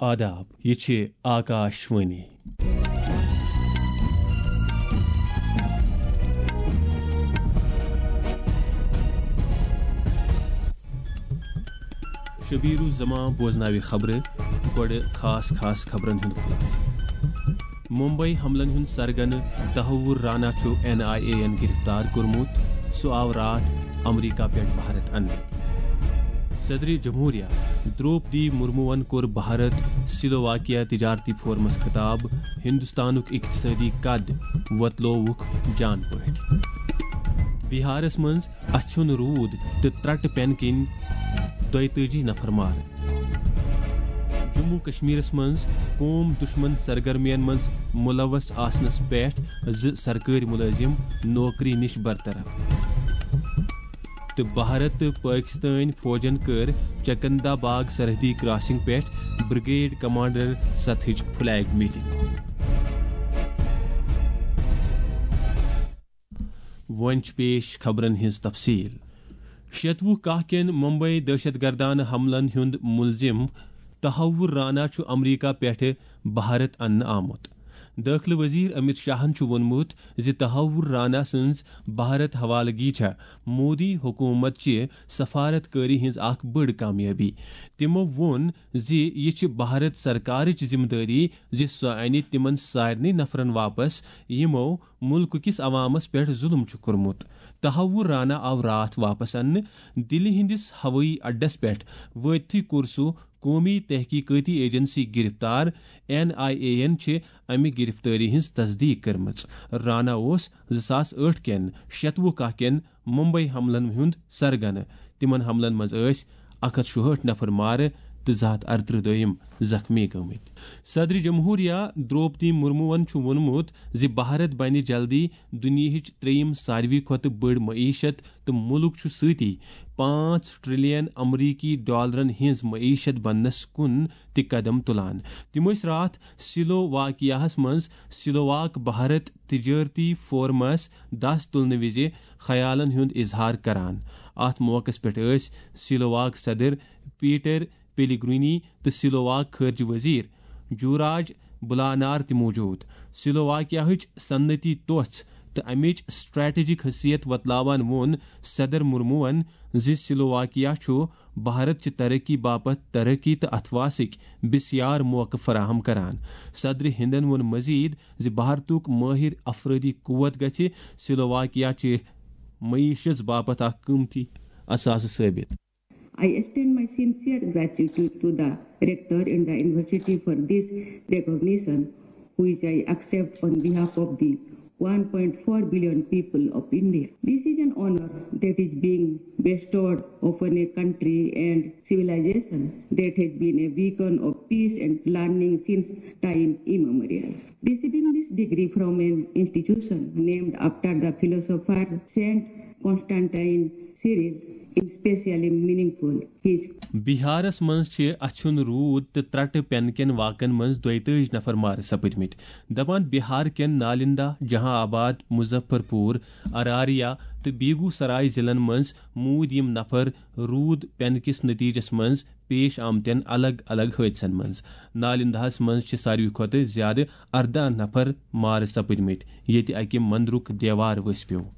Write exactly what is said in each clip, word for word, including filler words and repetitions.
آداب، یہِ چھِ آکاش وانی۔ شبیر الزمان بوزناوِ خبرٕ۔ گۄڈٕ خاص خاص خبرن ہُنٛد خلاصہٕ۔ ممبئی حملن ہُنٛد سرگنہٕ تحور رانا چھُ این آئی اے یَن گرفتار کوٚرمُت۔ سُہ آو راتھ امریکہ پٮ۪ٹھ بھارت اننہٕ۔ صدر جمہوریہ دروپدی مرموَن کوٚر بھارت سلوواکیہ تجارتی فورمس خطاب، ہندوستانُک اقتصٲدی قد وۄتلووُکھ جان پٲٹھۍ۔ بہارس منٛز اچھُن روٗد تہٕ ترٛٹہٕ پٮ۪نہٕ کِنۍ دۄیتٲجی نفر مارٕ۔ جموں کشمیرس منٛز قوم دشمن سرگرمین منٛز ملوث آسنس پٮ۪ٹھ زٕ سرکٲرۍ ملٲزم نوکری نِش برطرف۔ تہٕ بھارت تہٕ پٲکستٲنۍ فوجن کٔر چکندہ باغ سرحدی کراسنگ پٮ۪ٹھ بریگیڈ کمانڈر سطحٕچ فلیگ میٹنگ۔ وۄنۍ چھِ پیش خبرن ہٕنٛز تفصیل۔ شیتوُہ کاہ کٮ۪ن ممبئی دہشت گردانہٕ حملن ہُنٛد ملزم تحور رانا چھُ امریکہ پٮ۪ٹھٕ بھارت اننہٕ آمُت۔ دٲخلہٕ وزیر امت شاہن چھُ ووٚنمُت زِ تحور رانا سٕنٛز بھارت حوالگی چھےٚ مودی حکومت چہِ سفارت کٲری ہٕنٛز اکھ بٔڑ کامیٲبی۔ تِمو ووٚن زِ یہِ چھِ بھارت سرکارٕچ ذمہٕ دٲری زِ سۄ انہِ تِمن سارنٕے نفرن واپس، یِمو مُلکہٕ کِس عوامس پٮ۪ٹھ ظُلُم چھُ کوٚرمُت۔ تحور رانا آو راتھ واپس اننہٕ۔ دِلہِ ہٕنٛدِس ہوٲیی اڈس پٮ۪ٹھ وٲتتھٕے کوٚر سُہ قومی تحقیقٲتی ایجنسی گرفتار۔ این آئی اے یَن چھِ امہِ گرفتٲری ہٕنٛز تصدیق کٔرمٕژ۔ رانا اوس زٕ ساس ٲٹھ کٮ۪ن شیتوُہ کاہ کٮ۪ن ممبئی حملن ہُنٛد سرگنہٕ۔ تِمن حملن منٛز ٲسۍ اکھ ہتھ شُہٲٹھ نفر مارٕ تہٕ زٕ ہتھ ارترٕہ دوٚیِم زخمی گٔمٕتۍ۔ صدر جمہوریہ دروپدی مرموَن چھُ ووٚنمُت زِ بھارت بنہِ جلدی دُنیاہٕچ ترٛیٚیِم ساروی کھۄتہٕ بٔڑ معیشت تہٕ مُلک چھُ سۭتی پانٛژھ ٹریلین امریکی ڈالرن ہٕنٛز معیشت بننس کُن تہِ قدم تُلان۔ تِم ٲسۍ راتھ سلوواکیاہس منٛز سلوواک بھارت تجارتی فورمس دس تُلنہٕ وِزِ خیالن ہُنٛد اظہار کران۔ اتھ موقعس پٮ۪ٹھ ٲسۍ سلوواک صدر پیٹر پیلیگرینی تہٕ سلوواک خارجہ وزیر جوراج بلانار تہِ موجود۔ سلوواکیاہٕچ صنعتی توژھ تہٕ امِچ سٹریٹجک حیثیت وۄتلاوان ووٚن صدر مرموَن زِ سلوواکیا چھُ بھارت چہِ ترقی باپتھ ترقی تہٕ اتھواسٕکۍ بسیار موقعہٕ فراہم کران۔ صدر ہندن ووٚن مزید زِ بھارتُک مٲہِر افرٲدی قوت گژھِ سلوواکیا چہِ معیشس باپتھ اکھ قۭمتی اثاثہٕ ثٲبت۔ I extend my sincere gratitude to the Rector and the University for this recognition, which I accept on behalf of the one point four billion people of India. This is an honor that is being bestowed upon a country and civilization that has been a beacon of peace and learning since time immemorial. Receiving this degree from an institution named after the philosopher Saint Constantine Cyril is specially meaningful. His بہارس منٛز چھِ اچھُن روٗد تہٕ ترٛٹہٕ پٮ۪نہٕ کٮ۪ن واقعن منٛز دۄیتٲجۍ نفر مارٕ سپٕدمٕتۍ۔ دپان بہار کٮ۪ن نالندہ، جہاں آباد، مظفر پور، اراریا تہٕ بیگو سرائے ضلعن منٛز موٗدۍ یِم نفر روٗد پٮ۪نہٕ کِس نتیجس منٛز پیش آمتٮ۪ن الگ الگ حٲدثن منٛز۔ نالندہس منٛز چھِ ساروی کھۄتہٕ زیادٕ ارداہ نفر مارٕ سپٕدمٕتۍ، ییٚتہِ اکہِ مندرُک دیوار ؤسۍ پیوٚو۔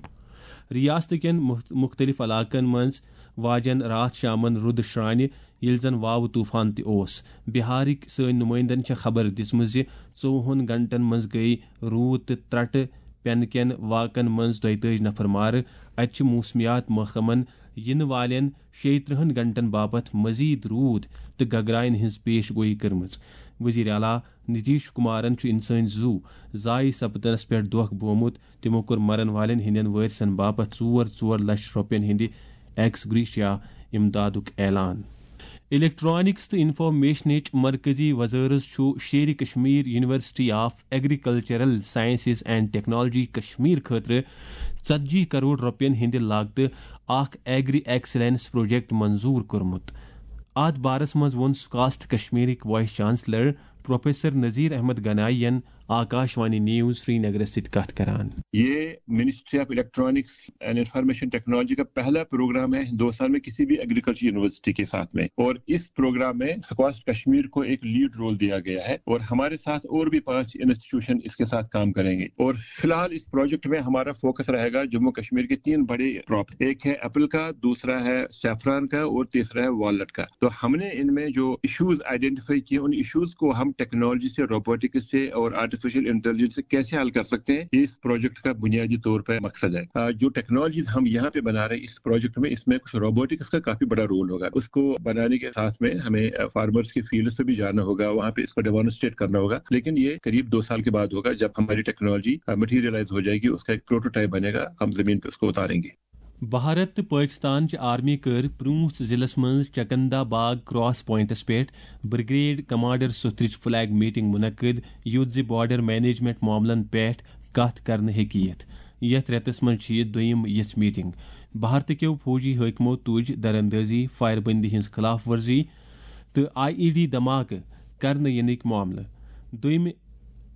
ریاست کٮ۪ن مُخ-، مُختٔلِف علاقن منٛز واجن راتھ شامن رُدٕ شرٛانہِ، ییٚلہِ زن واوٕ طوفان تہِ اوس۔ بہارٕکۍ سٲنۍ نُمٲیندن چھےٚ خبر دِژمٕژ زِ ژوٚوُہن گھنٹن منٛز گٔیہِ روٗد تہٕ ترٛٹہٕ پٮ۪نہٕ کٮ۪ن واقعن منٛز دۄیتٲجۍ نفر مارٕ۔ اتہِ چھِ موسمیات محکمن یِنہٕ والٮ۪ن شیٚیہِ ترٕٛہن گھنٹن باپتھ مزید روٗد تہٕ گگراین ہٕنٛز پیش گویی کٔرمٕژ۔ وزیر اعلیٰ نتیش کمارن چھُ انسٲنی زُو ضایع سپدنس پٮ۪ٹھ دۄکھ بومُت۔ تِمو کوٚر مرن والٮ۪ن ہٕنٛدٮ۪ن وٲرثن باپتھ ژور ژور لچھ رۄپین ہٕنٛدِ ایکس گریشیا امدادُک اعلان۔ الیکٹرانکس تہٕ انفارمیشنٕچ مرکزی وزارت چھُ Sher Kashmir university of agricultural sciences and technology Kashmir خٲطرٕ ژتجی کرور رۄپین ہٕنٛدِ لاگتہٕ اکھ ایگری ایکسلنس پروجیکٹ منظور کوٚرمُت۔ اتھ بارس منٛز ووٚن سکاسٹ کشمیرٕکۍ vice chancellor professor Nazir Ahmad Ganai ین آکاش وانی نیوز سری نگرس سۭتۍ کتھ کران۔ یہ ministry of electronics and information technology کا پہلا پروگرام ہے ہندوستان میں کسی بھی ایگریکلچر یونیورسسٹی کے ساتھ میں، اور اس پروگرام میں سکواش کشمیر کو ایک لیڈ رول دیا گیا ہے اور ہمارے ساتھ اور بھی پانچ انسٹیٹیوشن اس کے ساتھ کام کریں گے۔ اور فی الحال اس پروجیکٹ میں ہمارا فوکس رہے گا جموں کشمیر کے تین بڑے کراپ، ایک ہے ایپل کا، دوسرا ہے سیفران کا اور تیسرا ہے والنٹ کا۔ تو ہم نے ان میں جو ایشوز آئیڈینٹیفائی کیے، ان ایشوز کو ہم ٹیکنالوجی سے، روبوٹکس سے اور آرٹیفیشل انٹیلیجنس سے کیسے حل کر سکتے ہیں، یہ اس پروجیکٹ کا بنیادی طور پر مقصد ہے۔ آ، جو ٹیکنالوجیز ہم یہاں پہ بنا رہے ہیں اس پروجیکٹ میں، اس میں کچھ روبوٹکس کا کافی بڑا رول ہوگا۔ اس کو بنانے کے ساتھ میں ہمیں، آ، فارمرز کے فیلڈ پہ بھی جانا ہوگا، وہاں پہ اس کو ڈیمانسٹریٹ کرنا ہوگا، لیکن یہ قریب دو سال کے بعد ہوگا جب ہماری ٹیکنالوجی، آ، مٹیریلائز ہو جائے گی، اس کا ایک پروٹوٹائپ بنے گا، ہم زمین پہ اس کو اتاریں گے۔ بھارت تہٕ پٲکِستان چہِ آرمی کٔر پرٛوٗنٛژھ ضلعس منٛز چکندہ باغ کراس پوائنٹس پٮ۪ٹھ بریگیڈ کمانڈر سوتھرٕچ فلیگ میٹنگ منعقد، یُتھ زِ بارڈر مینجمنٹ معاملن پٮ۪ٹھ کتھ کرنہٕ ہیٚکہِ یِتھ۔ یتھ رٮ۪تس منٛز چھِ یہِ دوٚیِم یِژھ میٹنگ۔ بھارتہٕ کیو فوجی حٲکمو تُج دراندازی، فائر بندی ہٕنٛز خلاف ورزی تہٕ آئی ای ڈی دھماکہٕ کرنہٕ یِنٕکۍ معاملہٕ۔ دوٚیمہِ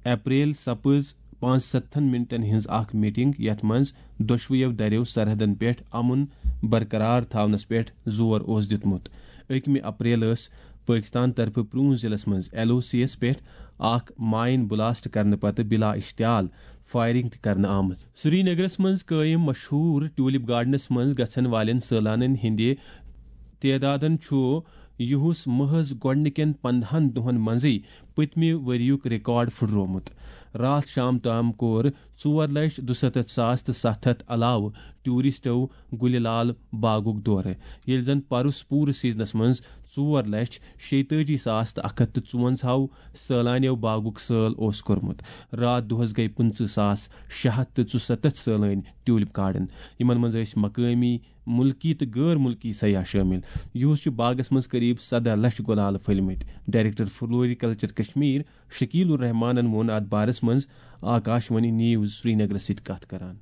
اپریل سپٕز پانٛژھ ستتھن منٹن ہٕنٛز اکھ میٹنگ، یتھ منٛز دۄشوٕیو دریو سرحدن پٮ۪ٹھ امن برقرار تھاونس پٮ۪ٹھ زور اوس دیُتمُت۔ أکمہِ اپریل ٲس پٲکستان طرفہٕ پرٛوٗنٛژھ ضلعس منٛز ایل او سی یس پٮ۪ٹھ اکھ مائن بلاسٹ کرنہٕ پتہٕ بلا اشتعال فائرنگ تہِ کرنہٕ آمٕژ۔ سری نگرس منٛز قٲیِم مشہوٗر ٹیولپ گارڈنس منٛز گژھن والٮ۪ن سٲلانن ہٕنٛدِ تعدادن چھُ یُہُس محض گۄڈٕنِکٮ۪ن پندہن دۄہن منٛزٕے پٔتمہِ ؤرِیُک ریکارڈ پھُٹروومُت۔ راتھ شام تام کوٚر ژور لچھ دُسَتتھ ساس تہٕ ستھ ہتھ علاوٕ ٹوٗرسٹو گُلہِ لال باغُک دورٕ، ییٚلہِ زن پرُس پوٗرٕ سیزنس منٛز ژور لچھ شیٚتٲجی ساس تہٕ اکھ ہتھ تہٕ ژُوَنزاہ سٲلانیو باغُک سٲل اوس کوٚرمُت۔ راتھ دۄہس گٔیہِ پٕنٛژٕہ ساس شےٚ ہتھ تہٕ ژُسَتتھ سٲلٲنۍ ٹیولپ گارڈن، یِمن منٛز ٲسۍ مقٲمی، مُلکی تہٕ غٲر مُلکی سیاح شٲمِل۔ یُہُس چھُ باغس منٛز قریب سدہ لچھ گُلالہٕ پھٔلۍ مٕتۍ۔ ڈائریکٹر فلوریکلچر کشمیر شکیل الرحمانن ووٚن اتھ بارس منٛز آکاش وانی نیوز سرینگرس سۭتۍ کتھ کران۔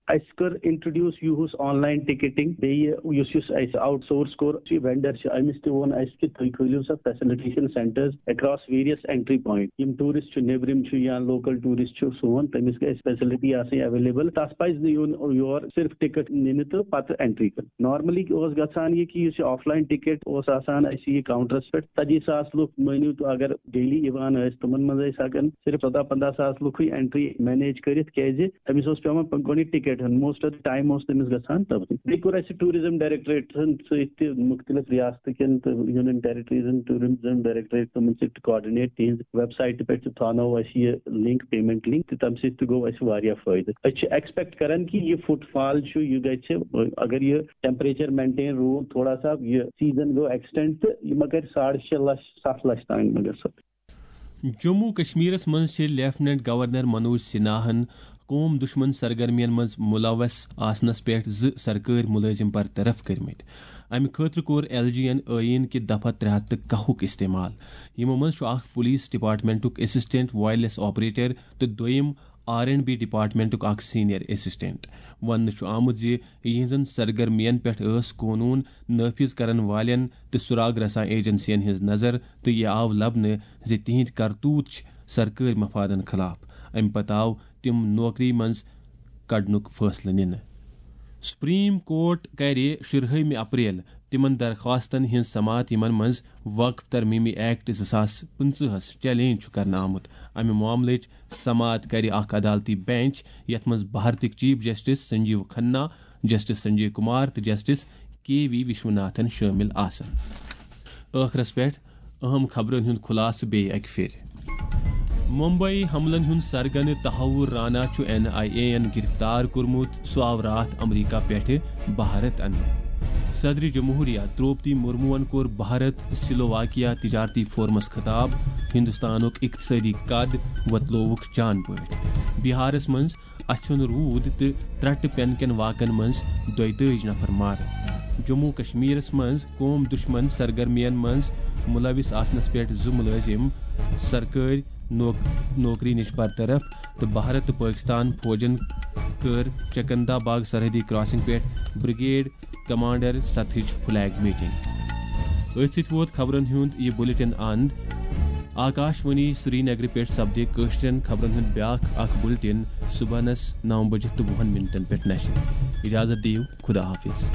اسہِ کٔر انٹروڈیوس یُہُس آن لاین ٹکٹنگ، بیٚیہِ یُس یُس اسہِ آوٹ سورس کوٚر، یہِ وینڈر چھِ، أمِس تہِ ووٚن اسہِ کہِ تُہۍ کھٲلِو سا facilitation centres across various entry point. یِم ٹوٗرسٹ چھِ، نیبرِم چھِ یا لوکل ٹوٗرسٹ چھِ سون، تٔمِس گژھِ فیسلٹی آسٕنۍ اویلیبل۔ تس پزِ نہٕ یُن یور صرف ٹکٹ نِنہِ تہٕ پتہٕ اینٹری کرٕنۍ۔ نارملی اوس گژھان یہِ کہِ یُس یہِ آف لاین ٹکٹ اوس آسان اسہِ یہِ کاؤنٹرس پٮ۪ٹھ، ژتجی ساس لُکھ مٲنِو تُہۍ اگر ڈیلی یِوان ٲسۍ، تِمن منٛز ٲسۍ ہٮ۪کان صرف ژۄداہ پنداہ ساس لُکھٕے اینٹری مینیج کٔرِتھ، کیازِ أمِس اوس پٮ۪وان پَنُن گۄڈٕنیُک ٹِکٹ ہیوٚن۔ موسٹ آف دی ٹایم اوس تٔمِس گژھان تَتھٕے۔ بیٚیہِ کوٚر اَسہِ ٹوٗرِزم ڈایریکٹوریٹَن سۭتۍ تہِ، مُختٔلِف رِیاستہٕ کٮ۪ن تہٕ یوٗنین ٹیرِٹریٖزَن ٹوٗرِزم ڈایریکٹوریٹ، تِمَن سۭتۍ تہِ کاڈِنیٹ۔ تِہِنٛزِ ویب سایٹہِ پٮ۪ٹھ تہِ تھاونٲو اَسہِ یہِ لِنک، پیمنٹ لِنک، تہٕ تَمہِ سۭتۍ تہِ گوٚو اَسہِ واریاہ فٲیدٕ۔ أسۍ چھِ ایکسپیکٹ کران کہِ یہِ فُٹ فال چھُ، یہِ گژھِ، اگر یہِ ٹیمپریچر مینٹین روٗد تھوڑا سا، یہِ سیزن گوٚو ایکسٹینڈ، تہٕ یہِ ما کرِ ساڑٕ شےٚ لچھ، ستھ لچھ تام ما گژھِ۔ جموں کشمیرس منٛز چھِ لیفٹیننٹ گورنر منوج سنہاہن قوم دشمن سرگرمین منٛز ملوث آسنس پٮ۪ٹھ زٕ سرکٲرۍ مُلٲزِم برطرف کٔرمٕتۍ۔ امہِ خٲطرٕ کوٚر ایل جی ین ٲیٖن کہِ دفعہ ترٛےٚ ہتھ تہٕ کاہُک استعمال۔ یِمو منٛز چھُ اکھ پولیس ڈپارٹمنٹُک اسسٹنٹ وائرلیس آپریٹر تہٕ دوٚیِم آر اینڈ بی ڈپارٹمنٹُک اکھ سینئر اسسٹنٹ۔ وننہٕ چھُ آمُت زِ یِہنٛزن سرگرمین پٮ۪ٹھ ٲس قونوٗن نافذ کرن والٮ۪ن تہٕ سراغ رساں ایجنسین ہٕنٛز نظر، تہٕ یہِ آو لبنہٕ زِ تِہنٛدۍ کرتوت چھِ سرکٲرۍ مفادن خلاف۔ امہِ پتہٕ آو تِم نوکری منٛز کڑنُک فٲصلہٕ نِنہٕ۔ سپریم کورٹ کرِ شُرہٲیمہِ اپریل تِمن درخواستن ہٕنٛز سماعت، یِمن منٛز وقف ترمیمی ایکٹ زٕ ساس پٕنٛژٕہس چیلنج چھُ کرنہٕ آمُت۔ امہِ معاملٕچ سماعت کرِ اکھ عدالتی بینچ، یتھ منٛز بھارتٕکۍ chief justice Sanjiv Khanna, justice Sanjay Kumar تہٕ جسٹس کے وی وشوناتھن شٲمِل آسن۔ ٲخرس پٮ۪ٹھ اہم خبرن ہُنٛد خلاصہٕ بیٚیہِ اکہِ پھِرِ۔ ممبئی حملن ہُنٛد سرگنہٕ تحور رانا چھُ این آئی اے یَن گرفتار کوٚرمُت۔ سُہ آو راتھ امریکہ پٮ۪ٹھٕ بھارت اننہٕ۔ صدر جمہوریہ دروپدی مرموَن کوٚر بھارت سلوواکیا تجارتی فورمس خطاب، ہندوستانُک اقتصٲدی قد وۄتلووُکھ جان پٲٹھۍ۔ بہارس منٛز اَژھیُن روٗد تہٕ ترٛٹہٕ پٮ۪نہٕ کٮ۪ن واقعن منٛز دۄیہِ تٲجۍ نفر مارٕ۔ جموں کشمیرس منٛز قوم دشمن سرگرمین منٛز ملوث آسنس پٮ۪ٹھ زٕ ملٲزم سرکٲرۍ نوک-، نوکری نِش برطرف تہٕ بھارت تہٕ پٲکستان فوجن کٔر چکندہ باغ سرحدی کراسنگ پٮ۪ٹھ بریگیڈ کمانڈر سطحٕچ فلیگ میٹنگ۔ أتھۍ سۭتۍ ووت خبرن ہُنٛد یہِ بلیٹن اند۔ آکاش وانی سرینگرٕ پٮ۪ٹھ سپدِ کٲشرٮ۪ن خبرن ہُنٛد بیٛاکھ اکھ بُلٹن صُبحنس نو بجہِ تہٕ وُہن منٹن پٮ۪ٹھ نشر۔ اجازت دِیِو، خدا حافظ۔